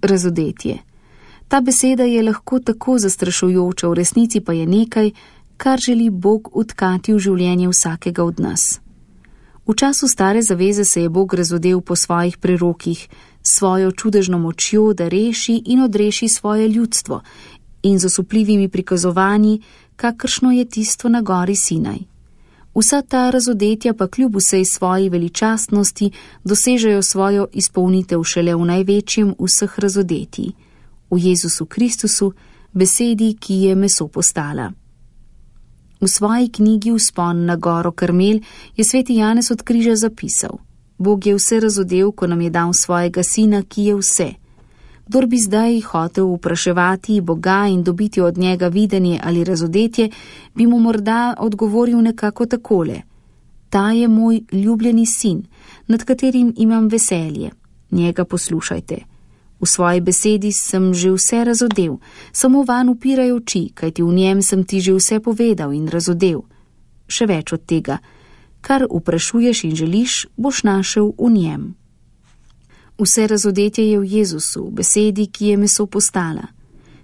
Razodetje. Ta beseda je lahko tako zastrašujoča, v resnici pa je nekaj, kar želi Bog vtkati v življenje vsakega od nas. V času Stare zaveze se je Bog razodel po svojih prerokih, s svojo čudežno močjo, da reši in odreši svoje ljudstvo in z osupljivimi prikazovanji, kakršno je tisto na gori Sinaj. Vsa ta razodetja pa kljub vsej svoji veličastnosti dosežejo svojo izpolnitev šele v največjem vseh razodetij, v Jezusu Kristusu, besedi, ki je meso postala. V svoji knjigi Vzpon na goro Karmel je sveti Janez od križa zapisal: Bog je vse razodel, ko nam je dal svojega sina, ki je vse. Kdor bi zdaj hotel vpraševati Boga in dobiti od njega videnje ali razodetje, bi mu morda odgovoril nekako takole: Ta je moj ljubljeni sin, nad katerim imam veselje. Njega poslušajte. V svoji besedi sem že vse razodel, samo van upiraj oči, kajti v njem sem ti že vse povedal in razodel. Še več od tega, kar vprašuješ in želiš, boš našel v njem. Vse razodetje je v Jezusu, v besedi, ki je meso postala.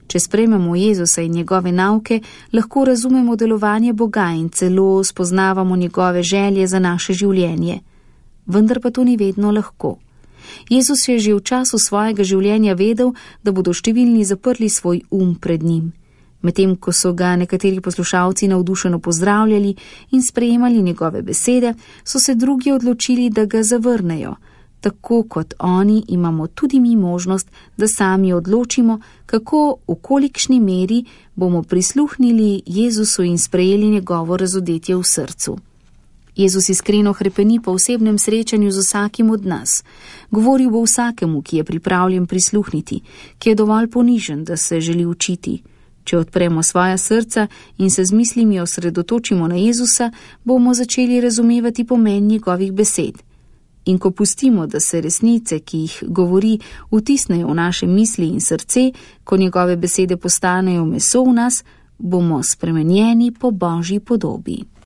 Če sprejmemo Jezusa in njegove nauke, lahko razumemo delovanje Boga in celo spoznavamo njegove želje za naše življenje. Vendar pa to ni vedno lahko. Jezus je že v času svojega življenja vedel, da bodo številni zaprli svoj pred njim. Medtem ko so ga nekateri poslušalci navdušeno pozdravljali in sprejemali njegove besede, so se drugi odločili, da ga zavrnejo. Tako kot oni imamo tudi mi možnost, da sami odločimo, kako, v kolikšni meri bomo prisluhnili Jezusu in sprejeli njegovo razodetje v srcu. Jezus iskreno hrepeni po osebnem srečanju z vsakim od nas. Govoril bo vsakemu, ki je pripravljen prisluhniti, ki je dovolj ponižen, da se želi učiti. Če odpremo svoja srca in se z mislimi osredotočimo na Jezusa, bomo začeli razumevati pomen njegovih besed. In ko pustimo, da se resnice, ki jih govori, vtisnejo v naše misli in srce, ko njegove besede postanejo meso v nas, bomo spremenjeni po Božji podobi.